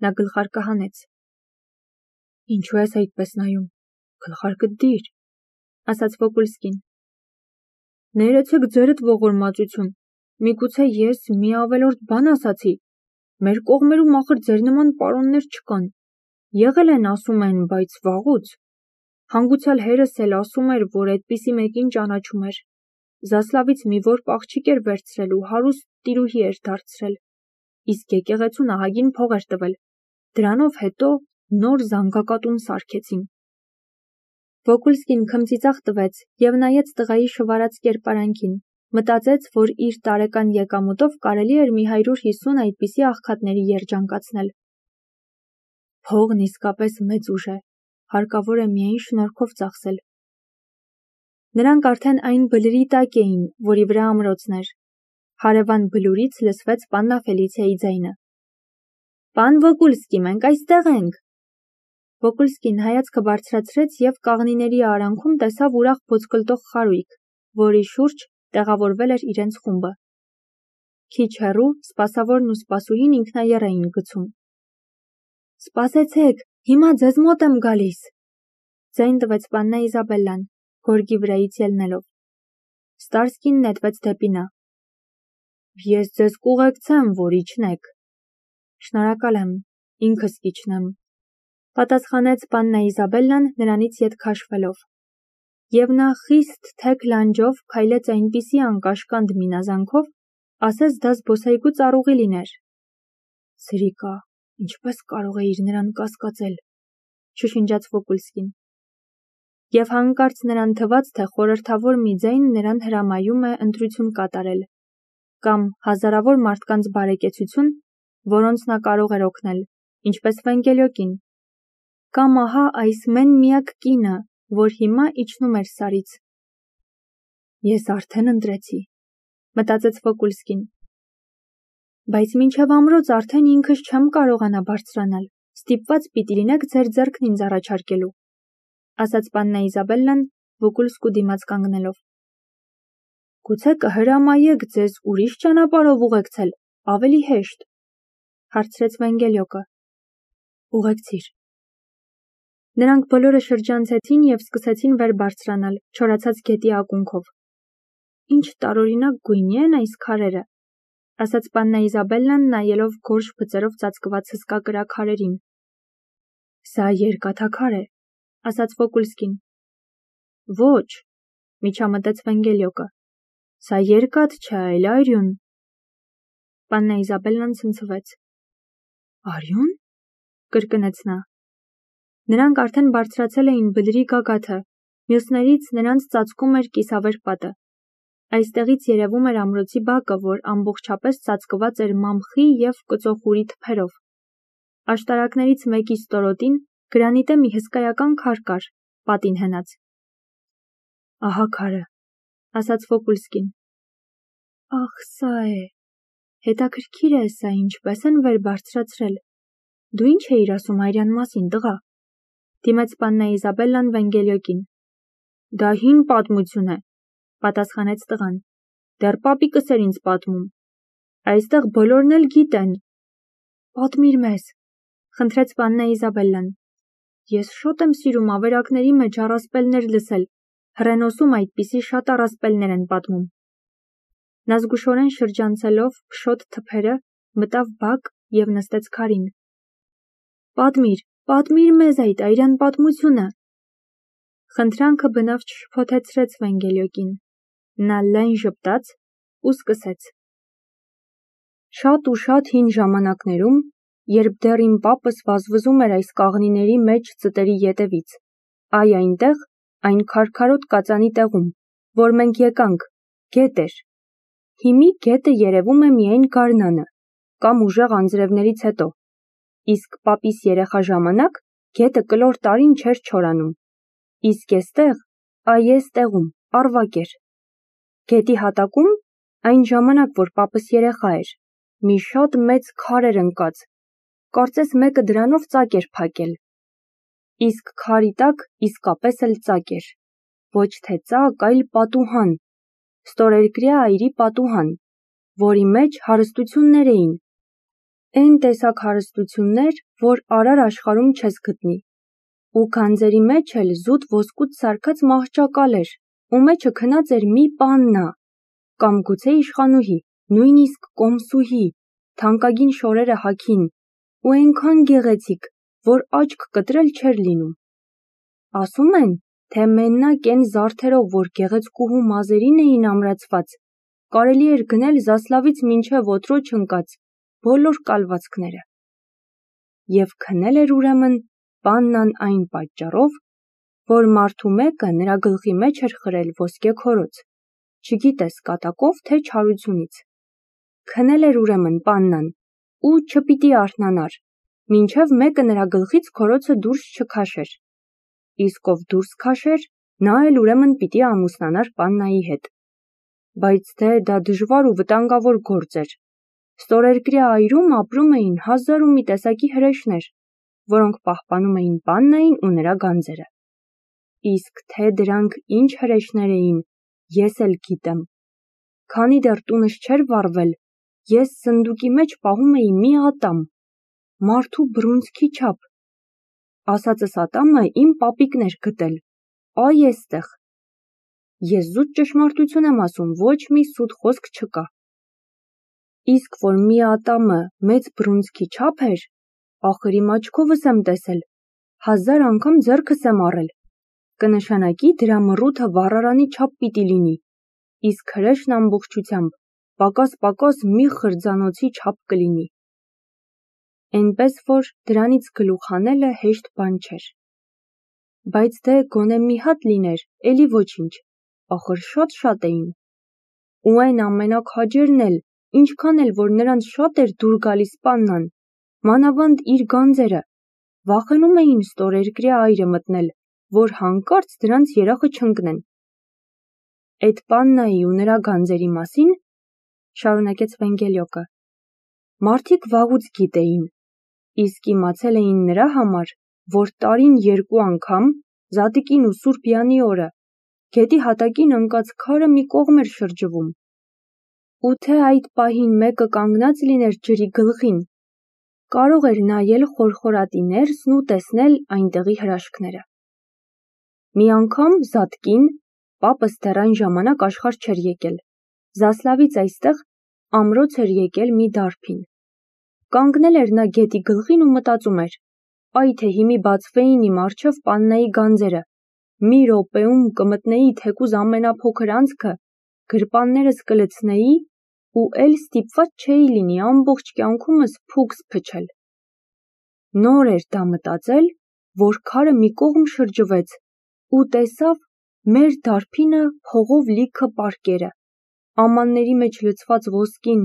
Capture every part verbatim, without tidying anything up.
Նա գլխարկը հանեց։ Ինչու ես այդպես նայում, գլխարկդ դիր, ասաց Վոկուլսկին։ Ներեցեք ձերդ ողորմածություն, միգուցե ես մի ավելորդ բան ասացի, մեր կողմերում ախր ձեր նման պարոններ չկան, եղել են ասում են, բայց վաղուց, հանգուցյալ հերս էլ ասում էր, որ այդպիսի մեկին ճանաչում էր, Զասլավից մի որբ աղջիկ էր վերցրել ու հարուստ տիրուհի էր դարձրել, իսկ եկեղեցուն ահագին փող էր տվել, դրանով հետո նոր զանգակատուն սարքեցին։ Վոկուլսկին քմծիծաղ տվեց և նայեց տղայի շվարած կերպարանքին, մտածեց, որ իր տարեկան եկամուտով կարելի էր մի հարյուր հիսուն այդպիսի աղքատների երջանկացնել։ Փողն իսկապես մեծ ուժ է, հարկավոր է միայն շնորհքով ծախսել։ Նրանք արդեն այն բլրի տակ էին, որի վրա ամրոցն էր։ Հարևան բլուրից լսվեց պաննա Ֆելիցիայի ձայնը։ Պան Վոկուլսկի, մենք այստեղ ենք։ Վոկուլսկին հայացքը բարձրացրեց և կաղնիների արանքում տեսավ ուրախ ոսկլտող խարույկ, որի շուրջ տեղավորվել էր իրենց խումբը։ Քիչ հեռու սպասավորն ու սպասուհին ինքնաեռ էին գցում։ Սպասեցեք, հիմա ձեզ մոտ եմ գալիս, ձայն տվեց պաննա Իզաբելլան, գորգի վրայից ելնելով։ Ստարսկին նետվեց դեպի նա։ Ես ձեզ կուղեկցեմ, որ իջնեք։ Շնորհակալ եմ, ինքս կիջնեմ, պատասխանեց պաննա Իզաբելլան նրանից ետ քաշվելով։ Եվ նա խիստ թեք լանջով քայլեց այնպիսի անկաշկանդ մինազանքով, ասես դա զբոսայգու ծառուղի լիներ։ Սրիկա, ինչպես կարող էիր նրան կասկածել, շշնջաց Վոկուլսկին։ Եվ հանկարծ նրան թվաց, թե խորհրդավոր մի ձայն նրան հրամայում է ընտրություն կատարել, կամ հազարավոր մարդկանց բարեկեցություն, որոնց նա կարող էր օգնել, ինչպես Վենգելյոկին, կամ ահա այս մեն-միակ կինը, որ հիմա իջնում էր Սարից։ Ես արդեն ընտրեցի, մտածեց Վոկուլսկին։ Բայց մինչև ամրոց արդեն ինքս չեմ կարողանա բարձրանալ, ստիպված պիտի լինեք ձեր ձեռքն ինձ առաջարկելու, ասաց պաննա Իզաբելլան, Վոկուլսկու դիմաց կանգնելով։ Գուցե կհրամայեք ձեզ ուրիշ ճանապարհով ուղեկցել, ավելի հեշտ, հարցրեց Վենգելյոկը։ Ուղեկցիր։ Նրանք բոլորը շրջանցեցին և սկսեցին վեր բարձրանալ, չորացած գետի ակունքով։ Ինչ տարօրինակ գույնի են այս քարերը, ասաց պաննա Իզաբելլան, նայելով գորշ բծերով ծածկված հսկա կրակ քարերին։ Սա երկաթաքար է, ասաց Վոկուլսկին։ Ոչ, միջամտեց Վենգելյոկը, սա երկաթ չէ, այլ արյուն։ Պաննա Իզաբելլան ցնցվեց։ Արյուն, կրկնեց նա։ Նրանք արդեն բարձրացել էին բլրի գագաթը, մյուսներից նրանց ծածկում էր կիսավեր պատը։ Այստեղից երևում էր ամրոցի բակը, որ ամբողջապես ծածկված էր մամխի և կծոխուրի թփերով։ Աշտարակներից մեկի ստորոտին գրանիտե մի հսկայական քար կար, պատին հենած։ Ահա քարը, ասաց Վոկուլսկին։ Ախ, սա է։ Հետաքրքիր է, սա ինչպես են վեր բարձրացրել։ Դու ինչ էիր ասում հայրյան մասին, տղա, դիմեց պաննա Իզաբելլան Վենգելյոկին։ Դա հին պատմություն է, պատասխանեց տղան։ Դեռ պապիկս էր ինձ պատմում։ Այստեղ բոլորն էլ գիտեն։ Պատմիր մեզ, խնդրեց պաննա Իզաբելլան։ Ես շատ եմ սիրում ավերակների մեջ առասպելներ լսել, հռենոսում այդպիսի շատ առասպելներ են պատմում։ Նա զգուշորեն շրջանցելով փշոտ թփերը, մտավ բակ և նստեց քարին։ Պատմիր, պատմիր մեզ այդ այրան պատմությունը։ Խնդրանքը բնավ չշփոթեցրեց Վենգելյոկին։ Նա լայն ժպտաց ու սկսեց։ Շատ ու շատ հին ժամանակներում, երբ դեռ իմ պապս վազվզում էր այս կաղնիների մեջ ծտերի ետևից, այ այնտեղ, այն քարքարոտ կածանի տեղում, որ մենք եկանք, գետ էր։ Հիմի գետը երևում է միայն գարնանը, կամ ուժեղ անձրևներից հետո, իսկ պապիս երեխա ժամանակ գետը կլոր տարին չէր չորանում, իսկ էստեղ, այ էս տեղում, առվակ էր։ Գետի հատակում, այն ժամանակ, որ պապս երեխա էր, մի շատ մեծ քար էր ընկած, կարծես մեկը դրանով ծակ էր փակել։ Իսկ քարի տակ իսկապես էլ ծակ էր, ոչ թե ծակ, այլ պատուհան, ստորերկրյա այրի պատուհան, որի մեջ հարստություններ էին, Այն տեսակ հարստություններ, որ արար աշխարհում չես գտնի։ Ու գանձերի մեջ էլ զուտ ոսկուց սարքած մահճակալ էր, ու մեջը քնած էր մի պաննա, կամ գուցե իշխանուհի, նույնիսկ կոմսուհի, թանկագին շորերը հագին, ու այնքան գեղեցիկ, որ աչք կտրել չէր լինում։ Ասում են, թե մենակ այն զարդերով, որ գեղեցկուհու մազերին էին ամրացված, կարելի էր գնել Զասլավից մինչև Օտրոջ ընկած բոլոր կալվածքները։ Եվ քնել էր ուրեմն պաննան այն պատճառով, որ մարդու մեկը նրա գլխի մեջ էր խրել ոսկե քորոց, չգիտես կատակով թե չարությունից։ Քնել էր ուրեմն պաննան, ու չպիտի արթնանար, մինչև մեկը նրա գլխից քորոցը դուրս չքաշեր։ Իսկ ով դուրս քաշեր, նա էլ ուրեմն պիտի ամուսնանար պաննայի հետ։ Բայց թե դա դժվար ու վտանգավոր գործ էր։ Ստորերկրյա այրում ապրում էին հազար ու մի տեսակի հրեշներ, որոնք պահպանում էին պաննային ու նրա գանձերը։ Իսկ թե դրանք ինչ հրեշներ էին, ես էլ գիտեմ։ Քանի դեռ տունս չէր վառվել, ես սնդուկի մեջ պահում էի մի ատամ, մարդու բռունցքի չափ։ Ասածս ատամը իմ պապիկն էր գտել, այ էստեղ։ Ես զուտ ճշմարտություն եմ ասում, ոչ մի սուտ խոսք չկա։ Իսկ որ մի ատամը մեծ բռունցքի չափ էր, ախր իմ աչքովս եմ տեսել, հազար անգամ ձեռքս եմ առել, կնշանակի դրա մռութը վառարանի չափ պիտի լինի, իսկ հրեշն ամբողջությամբ պակաս-պակաս մի խրձանոցի չափ կլինի։ Էնպես որ դրանից գլուխ հանելը հեշտ բան չէր։ Բայց թե գոնե մի հատ լիներ, էլի ոչինչ, ախր շատ-շատ էին։ Ու այն ամենաքաջերն էլ, ինչքան էլ որ նրանց շատ էր դուր գալիս պաննան, մանավանդ իր գանձերը, վախենում էին ստորերկրյա այրը մտնել, որ հանկարծ դրանց երախը չընկնեն։ Այդ պաննայի ու նրա գանձերի մասին, շարունակեց Վենգելյոկը, մարդիկ վաղուց գիտեին, իսկ իմացել էին նրա համար, որ տարին երկու անգամ, Զատիկին ու Սուրբ Յանի օրը, գետի հատակին ընկած քարը մի կողմ էր շրջվում։ Ու թե այդ պահին մեկը կանգնած լիներ ջրի գլխին, կարող էր նայել խորխորատի ներսն ու տեսնել այնտեղի հրաշքները։ Մի անգամ Զատկին, պապս դեռ այն ժամանակ աշխարհ չէր եկել, Զասլավից այստեղ ամրոց էր եկել մի դարբին։ Կանգնել էր նա գետի գլխին ու մտածում էր, այ թե հիմի բացվեին իմ առջև պաննայի գանձերը, մի րոպեում կմտնեի թեկուզ ամենափոքր անցքը, գրպաններս կլցնեի ու էլ ստիպված չէի լինի ամբողջ կյանքումս փուքս փչել։ Նոր էր դա մտածել, որ քարը մի կողմ շրջվեց ու տեսավ մեր դարբինը փողով լիքը պարկերը, ամանների մեջ լցված ոսկին,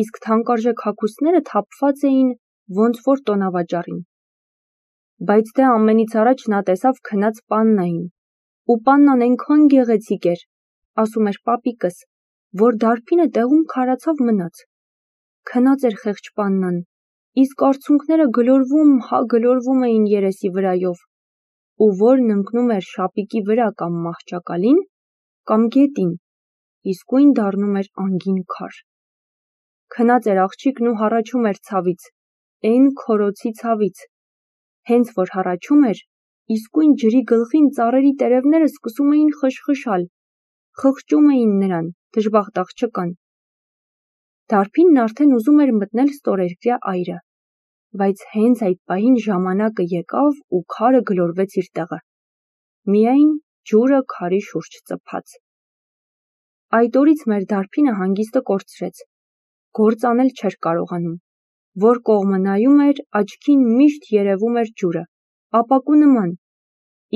իսկ թանկարժեք հագուստները թափված էին ոնց որ տոնավաճառին։ Բայց դե ամենից առաջ նա տեսավ քնած պաննային, ու պաննան այնքան գեղեցիկ էր, ասում էր պապիկս, որ դարբինը տեղում քարացավ մնաց։ Քնած էր խեղճ պաննան, իսկ արցունքները գլորվում, հա գլորվում էին երեսի վրայով, ու որն ընկնում էր շապիկի վրա կամ մահճակալին, կամ գետին, իսկույն դառնում էր անգին քար։ Քնած էր աղջիկն ու հառաչում էր ցավից, այն քորոցի ցավից։ Հենց որ հառաչում էր, իսկույն ջրի գլխին ծառերի տերևները սկսում էին խշխշալ, խղճում էին նրան, դժբախտ աղջկան։ Դարբինն արդեն ուզում էր մտնել ստորերկրյա այրը, բայց հենց այդ պահին ժամանակը եկավ ու քարը գլորվեց իր տեղը։ Միայն ջուրը քարի շուրջ ծփաց։ Այդ օրից մեր դարբինը հանգիստը կորցրեց, գործ անել չէր կարողանում, որ կողմը նայում էր, աչքին միշտ երևում էր ջուրը, ապակու նման,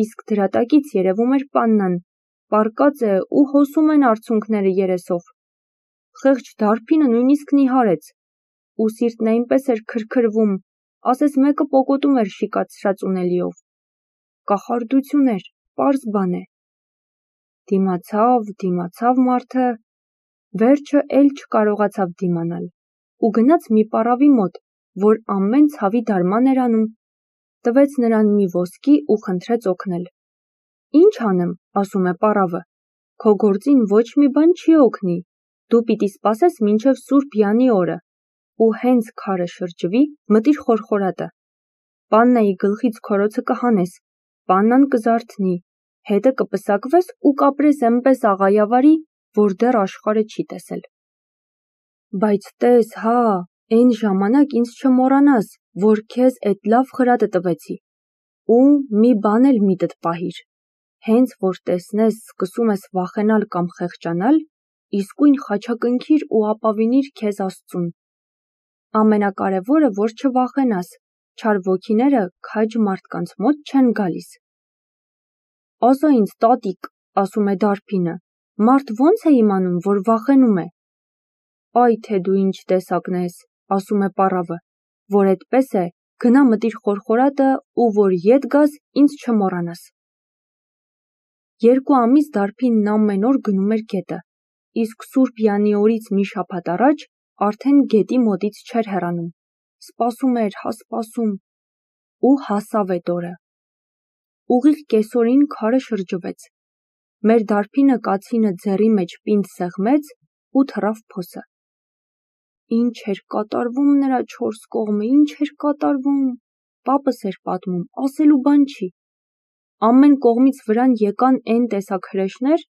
իսկ դրա տակից երևում էր պաննան, պառկած է ու հոսում են արցունքները երեսով։ Խեղճ դարբինը նույնիսկ նիհարեց, ու սիրտն այնպես էր քրքրվում, ասես մեկը պոկոտում էր շիկացրած ունելիով։ Կախարդություն էր, պարզ բան է։ Դիմացավ, դիմացավ մարդը, վերջը էլ չկարողացավ դիմանալ, ու գնաց մի պառավի մոտ, որ ամեն ցավի դարման էր անում, տվեց նրան մի ոսկի ու խնդրեց օգնել։ Ինչ անեմ, ասում է պառավը, քո գործին ոչ մի բան չի օգնի, դու պիտի սպասես մինչև Սուրբ Յանի օրը, ու հենց քարը շրջվի, մտիր խորխորատը։ Պաննայի գլխից քորոցը կհանես, պաննան կզարթնի, հետը կպսակվես ու կապրես էնպես աղայավարի, որ դեռ աշխարհը չի տեսել։ Բայց տես, հա, այն ժամանակ ինձ չմոռանաս, որ քեզ էդ լավ խրատը տվեցի, ու մի բան էլ միտդ պահիր, հենց որ տեսնես սկսում ես վախենալ կամ խեղճանալ, իսկույն խաչակնքիր ու ապավինիր քեզ Աստծուն։ Ամենակարևորը, որ չվախենաս, չար ոգիները քաջ մարդկանց մոտ չեն գալիս։ Ասա ինձ, տատիկ, ասում է դարբինը, մարդ ո՞նց է իմանում, որ վախենում է։ Այ թե դու ինչ տեսակն ես, ասում է պառավը, որ էդպես է, գնա մտիր խորխորատը ու որ ետ գաս, ինձ չմոռանաս։ Երկու ամիս դարբինն ամեն օր գնում էր գետը, իսկ Սուրբ Յանի օրից մի շաբաթ առաջ արդեն գետի մոտից չէր հեռանում, սպասում էր, հա սպասում, ու հասավ էդ օրը։ Ուղիղ կեսօրին քարը շրջվեց։ Մեր դարբինը կացինը ձեռի մեջ պինդ սեղմեց ու թռավ փոսը։ Ինչ էր կատարվում նրա չորս կողմը, ինչ էր կատարվում, պապս էր պատմում, ասելու բան չի։ Ամեն կողմից վրան եկան այն տեսակ հրեշներ,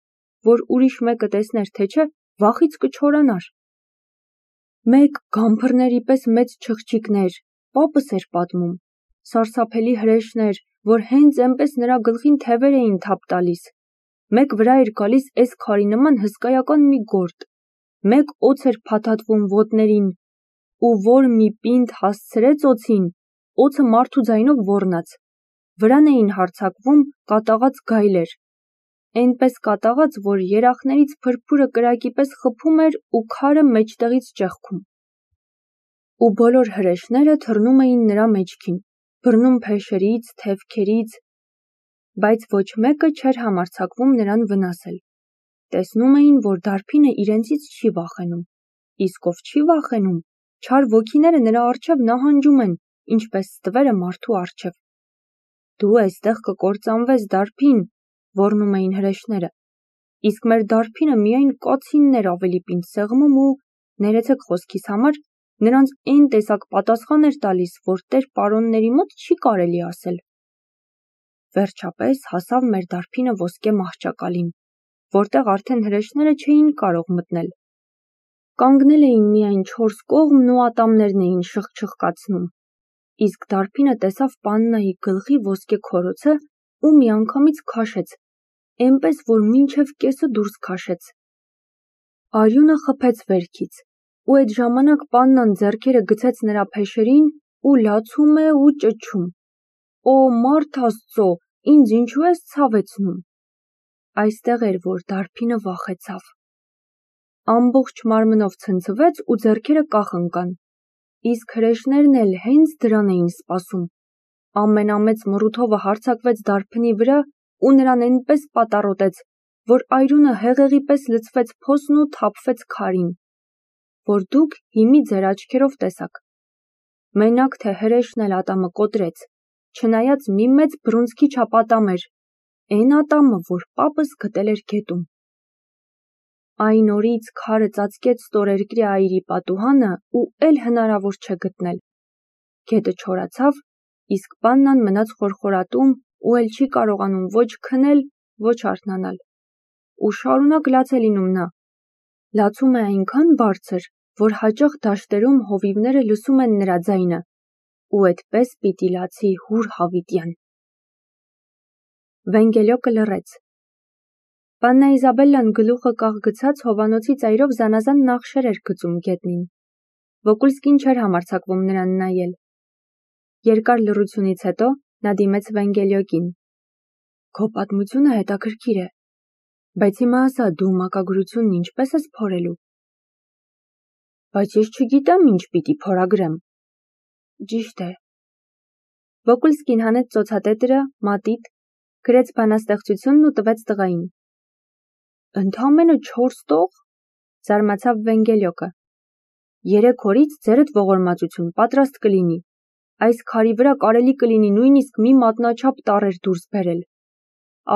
որ ուրիշ մեկը տեսներ, թե չէ, վախից կչորանար։ Մեկ գամփռների պես մեծ չղջիկներ, պապս էր պատմում, սարսափելի հրեշներ, որ հենց էնպես նրա գլխին թևեր էին թափ տալիս։ Մեկ վրա էր գալիս էս քարի նման հսկայական մի գորտ, մեկ օձ էր փաթաթվում ոտներին, ու որ մի պինդ հասցրեց օձին, օձը մարդու ձայնով ոռնաց, վրան էին հարձակվում կատաղած գայլեր, այնպես կատաղած, որ երախներից փրփուրը կրակի պես խփում էր ու քարը մեջտեղից ճեղքում։ Ու բոլոր հրեշները թռնում էին նրա մեջքին, բռնում փեշերից, թևքերից, բայց ոչ մեկը չէր համարձակվում նրան վնասել։ Տեսնում էին, որ դարբինը իրենցից չի վախենում, իսկ ով չի վախենում, չար ոգիները նրա առջև նահանջում են, ինչպես ստվերը մարդու առջև։ Դու այստեղ կկործանվես, դարբին, ոռնում էին հրեշները, իսկ մեր դարբինը միայն կացինն էր ավելի պինդ սեղմում ու, ներեցեք խոսքիս համար, նրանց այն տեսակ պատասխան էր տալիս, որ տեր պարոնների մոտ չի կարելի ասել։ Վերջապես հասավ մեր դարբինը ոսկե մահճակալին, որտեղ արդեն հրեշները չէին կարող մտնել։ Կանգնել էին միայն չորս կողմն ու ատամներն էին շխչխկացնում, իսկ դարբինը տեսավ Պաննայի գլխի ոսկե քորոցը ու միանգամից քաշեց, այնպես որ մինչև կեսը դուրս քաշեց։ Արյունը խփեց վերքից, ու այդ ժամանակ Պաննան ձեռքերը գցեց նրա փեշերին ու լացում է ու ճչում. Օ, մարդ Աստծո, ինձ ինչու ես ցավեցնում։ Այստեղ էր, որ դարբինը վախեցավ։ Ամբողջ մարմնով ցնցվեց ու ձեռքերը կախ ընկան, իսկ հրեշներն էլ հենց դրան էին սպասում։ Ամենամեծ մռութովը հարձակվեց դարբնի վրա ու նրան այնպես պատառոտեց, որ այրունը հեղեղի պես լցվեց փոսն ու թափվեց քարին, որ դուք հիմի ձեր աչքերով տեսաք։ Մենակ թե հրեշն էլ ատամը կոտրեց, չնայած մի մեծ բռունցքի չափ ատամ էր, այն ատամը, որ պապս գտել էր գետում։ Այն օրից քարը ծածկեց ստորերկրի այրի պատուհանը ու էլ հնարավոր չէ գտնել։ Գետը չորացավ, իսկ Պաննան մնաց խորխորատում ու էլ չի կարողանում ոչ քնել, ոչ արթնանալ։ Ու շարունակ լաց է լինում նա։ Լացում է այնքան բարձր, որ հաճախ դաշտերում հովիվները լսում են նրա ձայնը, ու այդպես պիտի լացի հուր հավիտյան։ Վենգելյոկը լռեց։ Պաննա Իզաբելլան գլուխը կաղ գցած հովանոցի ծայրով զանազան նախշեր էր գծում գետնին։ Վոկուլսկին չէր համարձակվում նրան նայել։ Երկար լռությունից հետո նա դիմեց Վենգելյոկին։ Քո պատմությունը հետաքրքիր է, բայց հիմա ասա, դու մակագրությունն ինչպես ես փորելու։ Բայց ես չգիտեմ ինչ պիտի փորագրեմ։ Ճիշտ է։ Վոկուլսկին հանեց ծոցատետրը, մատիտ, գրեց բանաստեղծությունն ու տվեց տղային։ Ընդամենը չորս տող, զարմացավ Վենգելյոկը։ Երեք օրից ձերդ ողորմածություն պատրաստ կլինի։ Այս քարի վրա կարելի կլինի նույնիսկ մի մատնաչափ տառեր դուրս բերել։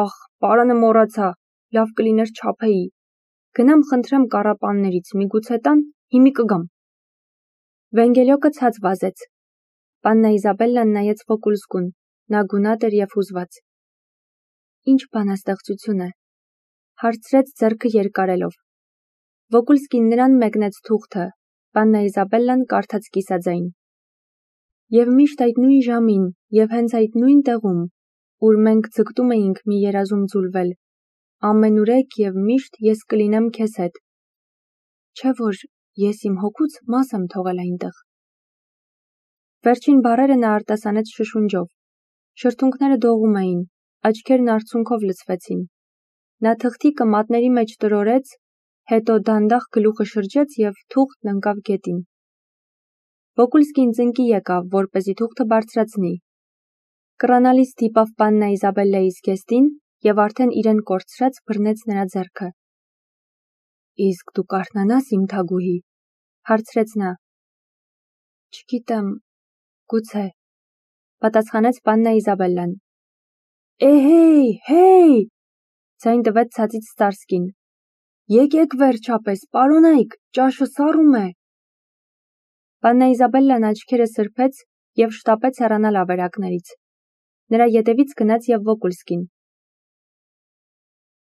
Ախ, պարանը մոռացա, լավ կլիներ չափեի։ Գնամ խնդրեմ կառապաններից, միգուցե տան, հիմի կգամ։ Վենգելյոկը ցած վազեց։ Պաննա Իզաբելլան նայեց Վոկուլսկուն, նա գունատ էր և հուզված։ Ինչ բանաստեղծություն է, հարցրեց ձեռքը երկարելով։ Վոկուլսկին նրան մեկնեց թուղթը, Պաննա Իզաբելլան կարդաց կիսաձայն։ Եվ միշտ այդ նույն ժամին, և հենց այդ նույն տեղում, ուր մենք ձգտում էինք մի երազում ձուլվել, ամենուրեք և միշտ ես կլինեմ քեզ հետ։ Չէ՞ որ ես իմ հոգուց մաս եմ թողել այնտեղ։ Վերջին բառերը նա արտասանեց շշունջով։ Շրթունքները դողում էին, աչքերն արցունքով լցվեցին։ Նա թղթիկը մատների մեջ տրորեց, հետո դանդաղ գլուխը շրջեց և թուղթն ընկավ գետին։ Վոկուլսկին ծնկի եկավ, որպեսզի թուղթը բարձրացնի։ Կռանալիս դիպավ Պաննա Իզաբելլայի զգեստին և արդեն իրեն կորցրած բռնեց նրա ձեռքը։ Իսկ դու կարթնանա՞ս, իմ թագուհի, հարցրեց նա։ Չգիտեմ, գուցե, պատասխանեց Պաննա Իզաբելլան։ Էհեյ, հեյ, ձայն տվեց ցածից Ստարսկին։ Եկեք վերջապես, պարոնայք, ճաշը սառում է։ Պաննա Իզաբելլան աչքերը սրբեց և շտապեց հեռանալ ավերակներից։ Նրա ետևից գնաց և Վոկուլսկին։